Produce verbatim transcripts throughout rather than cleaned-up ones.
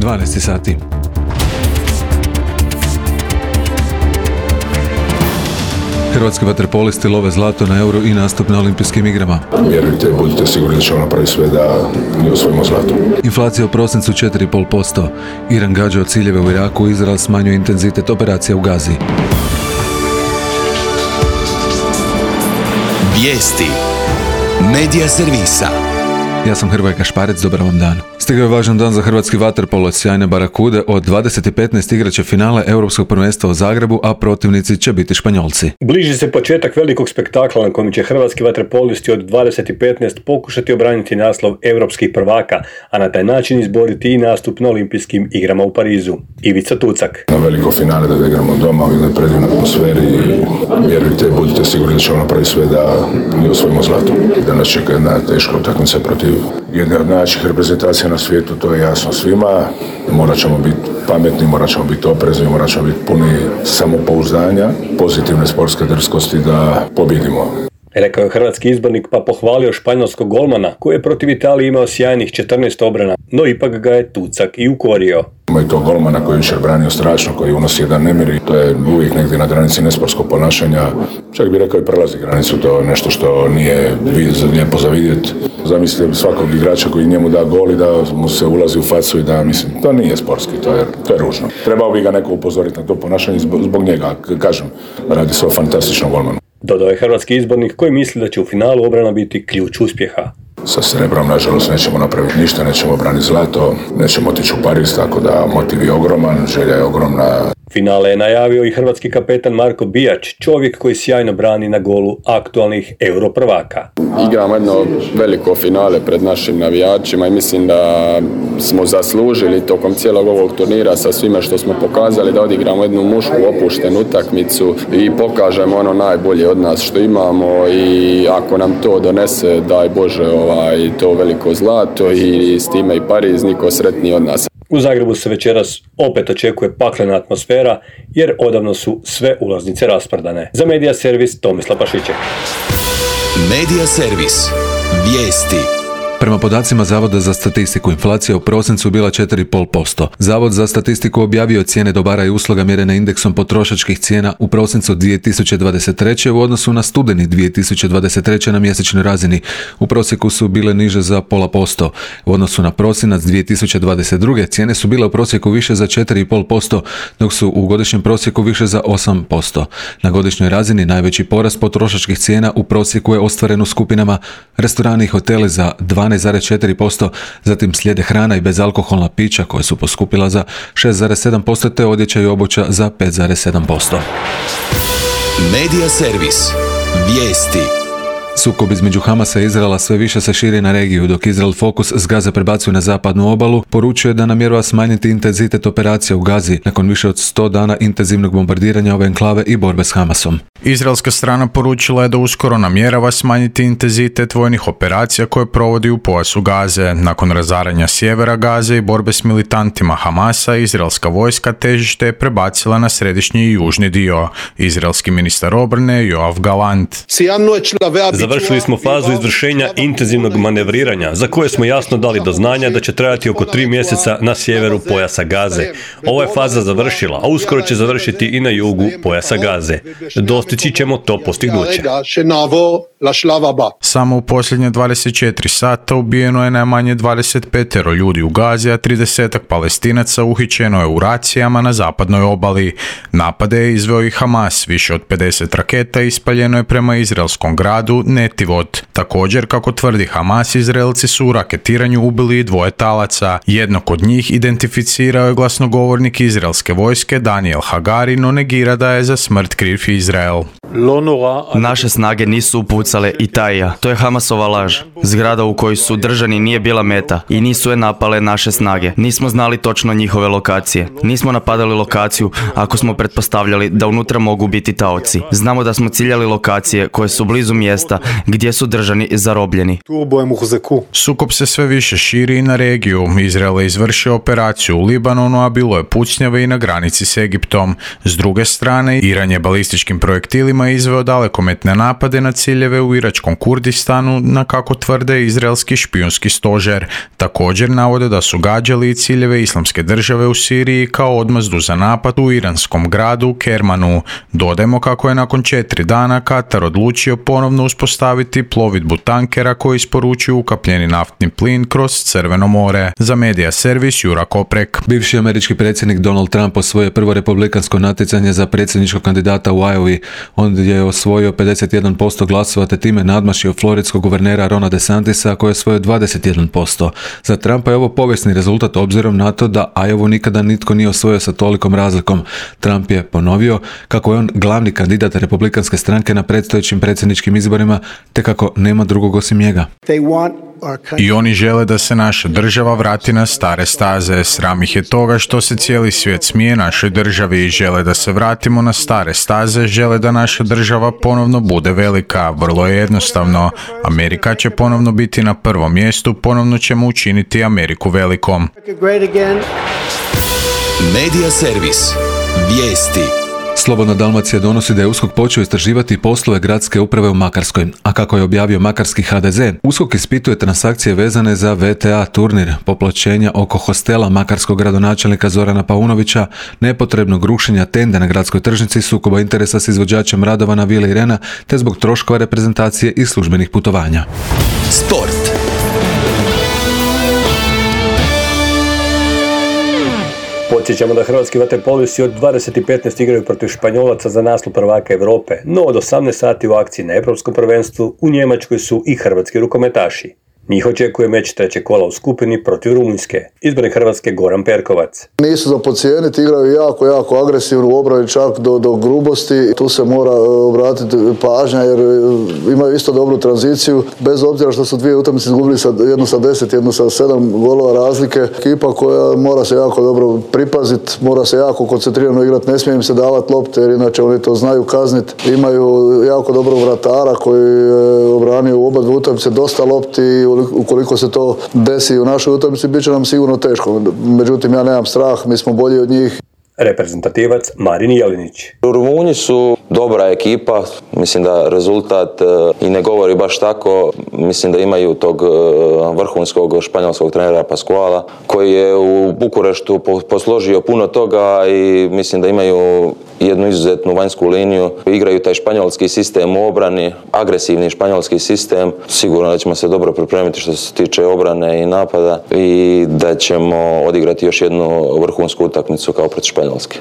dvanaest sati. Hrvatski vaterpolisti love zlato na Euro i nastup na Olimpijskim igrama. Vjerujte, budite sigurni da ćemo napraviti sve da mi osvojimo zlato. Inflacija u prosincu četiri zarez pet posto. Iran gađa ciljeve u Iraku, Izrael smanjuje intenzitet operacija u Gazi. Vijesti Medija servisa. Ja sam Hrvoje Kašparec, dobar vam dan. Stigao je važan dan za hrvatski vaterpolo. Sjajne Barakude od dvadeset i petnaest igraće finale Europskog prvenstva u Zagrebu, a protivnici će biti Španjolci. Bliži se početak velikog spektakla na kojem će hrvatski vaterpolisti od dvadeset i petnaest pokušati obraniti naslov europskih prvaka, a na taj način izboriti i nastup na Olimpijskim igrama u Parizu. Ivica Tucak. Na veliko finale da igramo doma u jednoj predivnoj atmosferi i vjerujte, budite sigurni da ćemo napraviti sve da mi osvojimo zlato. Danas čeka jedna teška utakmica protiv jedne od najjačih reprezentacija na svijetu, to je jasno svima. Morat ćemo biti pametni, morat ćemo biti oprezni, morat ćemo biti puni samopouzdanja, pozitivne sportske drskosti da pobjedimo. Rekao je hrvatski izbornik pa pohvalio španjolskog golmana koji je protiv Italije imao sjajnih četrnaest obrana, no ipak ga je Tucak i ukorio. Ima i to golmana koji je jučer branio strašno, koji unosi jedan nemir i to je uvijek negdje na granici nesportskog ponašanja. Čak bi rekao i prelazi granicu, to je nešto što nije lijepo za vidjeti. Zamislite svakog igrača koji njemu da gol i da mu se ulazi u facu i da, mislim, to nije sportski, to je, to je ružno. Trebao bi ga neko upozoriti na to ponašanje zbog, zbog njega, kažem, radi se o fantastičnom golmanu. Dodao je hrvatski izbornik koji misli da će u finalu obrana biti ključ uspjeha. Sa srebrom, nažalost, nećemo napraviti ništa, nećemo braniti zlato, nećemo otići u Pariz, tako da motiv je ogroman, želja je ogromna. Finale je najavio i hrvatski kapetan Marko Bijač, čovjek koji sjajno brani na golu aktualnih Euro prvaka. Igramo jedno veliko finale pred našim navijačima i mislim da smo zaslužili tokom cijelog ovog turnira sa svime što smo pokazali da odigramo jednu mušku opuštenu utakmicu i pokažemo ono najbolje od nas što imamo i ako nam to donese, daj Bože, ovaj, to veliko zlato i s time i Pariz, niko sretniji od nas. U Zagrebu se večeras opet očekuje paklena atmosfera jer odavno su sve ulaznice rasprodane. Za Medija servis Tomislav Pašićek. Medija servis. Vijesti. Prema podacima Zavoda za statistiku, inflacija u prosincu bila četiri zarez pet posto. Zavod za statistiku objavio cijene dobara i usluga mjerene indeksom potrošačkih cijena u prosincu dvije tisuće dvadeset treće u odnosu na studeni dvije tisuće dvadeset treće na mjesečnoj razini. U prosjeku su bile niže za pola posto. U odnosu na prosinac dvije tisuće dvadeset druge cijene su bile u prosjeku više za četiri zarez pet posto, dok su u godišnjem prosjeku više za osam posto. Na godišnjoj razini najveći porast potrošačkih cijena u prosjeku je ostvaren u skupinama restorani i hoteli za dvanaest zarez četiri posto, zatim slijede hrana i bezalkoholna pića koja su poskupila za šest zarez sedam posto te odjeća i obuća za pet zarez sedam posto. Medija servis. Vijesti. Sukob između Hamasa i Izraela sve više se širi na regiju, dok Izrael fokus s Gaze prebacuje na zapadnu obalu, poručuje da namjerava smanjiti intenzitet operacija u Gazi nakon više od sto dana intenzivnog bombardiranja ove enklave i borbe s Hamasom. Izraelska strana poručila je da uskoro namjerava smanjiti intenzitet vojnih operacija koje provodi u pojasu Gaze. Nakon razaranja sjevera Gaze i borbe s militantima Hamasa, izraelska vojska težište je prebacila na središnji i južni dio. Izraelski ministar obrane Joav Galant. Završili smo fazu izvršenja intenzivnog manevriranja, za koje smo jasno dali do znanja da će trajati oko tri mjeseca na sjeveru pojasa Gaze. Ova je faza završila, a uskoro će završiti i na jugu pojasa Gaze. Dostići ćemo to postignuće. Samo u posljednje dvadeset četiri sata ubijeno je najmanje dvadeset pet ljudi u Gazi, a tridesetak Palestinaca uhićeno je u racijama na zapadnoj obali. Napade je izveo i Hamas, više od pedeset raketa ispaljeno je prema izraelskom gradu Netivot. Također, kako tvrdi Hamas, Izraelci su u raketiranju ubili i dvoje talaca. Jednog od njih identificirao je glasnogovornik izraelske vojske Daniel Hagari, no negira da je za smrt kriv Izrael. Naše snage nisu upucale Itaija. To je Hamasova laž. Zgrada u kojoj su držani nije bila meta i nisu je napale naše snage. Nismo znali točno njihove lokacije. Nismo napadali lokaciju ako smo pretpostavljali da unutra mogu biti taoci. Znamo da smo ciljali lokacije koje su blizu mjesta Gaza, gdje su držani zarobljeni. Sukob se sve više širi i na regiju. Izrael je izvršio operaciju u Libanonu, a bilo je pucnjave i na granici s Egiptom. S druge strane, Iran je balističkim projektilima izveo dalekometne napade na ciljeve u iračkom Kurdistanu, na kako tvrde izraelski špijunski stožer. Također navode da su gađali i ciljeve Islamske države u Siriji kao odmazdu za napad u iranskom gradu Kermanu. Dodajmo kako je nakon četiri dana Katar odlučio ponovno uspostaviti plovidbu tankera koji isporučuju ukapljeni naftni plin kroz Crveno more. Za Medija servis Jura Koprek. Bivši američki predsjednik Donald Trump osvojio prvo republikansko natjecanje za predsjedničkog kandidata u Iowi. On je osvojio pedeset jedan posto glasova te time nadmašio floridskog guvernera Rona DeSantisa koji je osvojio dvadeset jedan posto. Za Trumpa je ovo povijesni rezultat obzirom na to da Iowa nikada nitko nije osvojio sa tolikom razlikom. Trump je ponovio kako je on glavni kandidat republikanske stranke na predstojećim predsjedničkim izborima te kako nema drugog osim njega. I oni žele da se naša država vrati na stare staze. Sram ih je toga što se cijeli svijet smije našoj državi i žele da se vratimo na stare staze, žele da naša država ponovno bude velika. Vrlo je jednostavno. Amerika će ponovno biti na prvom mjestu, ponovno ćemo učiniti Ameriku velikom. Medija servis. Vijesti. Slobodna Dalmacija donosi da je USKOK počeo istraživati poslove gradske uprave u Makarskoj, a kako je objavio makarski ha de ze, USKOK ispituje transakcije vezane za ve te a turnir, popločenja oko hostela makarskog gradonačelnika Zorana Paunovića, nepotrebnog rušenja tende na gradskoj tržnici, sukoba interesa s izvođačem radova na Vili Irena, te zbog troškova reprezentacije i službenih putovanja. Sport. Podsjećamo da hrvatski vaterpolisti od dvadeset petnaest igraju protiv Španjolaca za naslov prvaka Europe, no od osamnaest sati u akciji na Europskom prvenstvu u Njemačkoj su i hrvatski rukometaši. Njih očekuje meč trećeg kola u skupini protiv Rumunjske. Izbornik Hrvatske Goran Perkovac. Nisu za podcijeniti, igraju jako, jako agresivno u obrani, čak do, do grubosti. Tu se mora obratiti pažnja jer imaju isto dobru tranziciju. Bez obzira što su dvije utakmice izgubili, sa, jednu sa deset, jednu sa sedam golova razlike. Ekipa koja mora se jako dobro pripaziti, mora se jako koncentrirano igrati, ne smije im se davati lopte jer inače oni to znaju kazniti. Imaju jako dobrog vratara koji je obranio u oba dvije utakmice dosta lopti. Ukoliko se to desi u našoj utakmici, bit će nam sigurno teško. Međutim, ja nemam strah, mi smo bolji od njih. Reprezentativac Marin Jelinić. Rumunji su dobra ekipa, mislim da rezultat i ne govori baš tako, mislim da imaju tog vrhunskog španjolskog trenera Pascuala koji je u Bukureštu posložio puno toga i mislim da imaju jednu izuzetnu vanjsku liniju. Igraju taj španjolski sistem u obrani, agresivni španjolski sistem. Sigurno da ćemo se dobro pripremiti što se tiče obrane i napada i da ćemo odigrati još jednu vrhunsku utakmicu kao protiv Španjolske.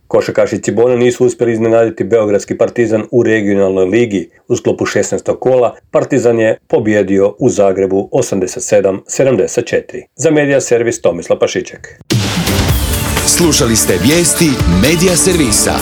Košarkaši Cibona nisu uspjeli iznenaditi beogradski Partizan u regionalnoj ligi. U sklopu šesnaestog kola Partizan je pobjedio u Zagrebu osamdeset sedam sedamdeset četiri. Za Medija servis Tomislav Pašiček. Slušali ste vijesti Medija servisa.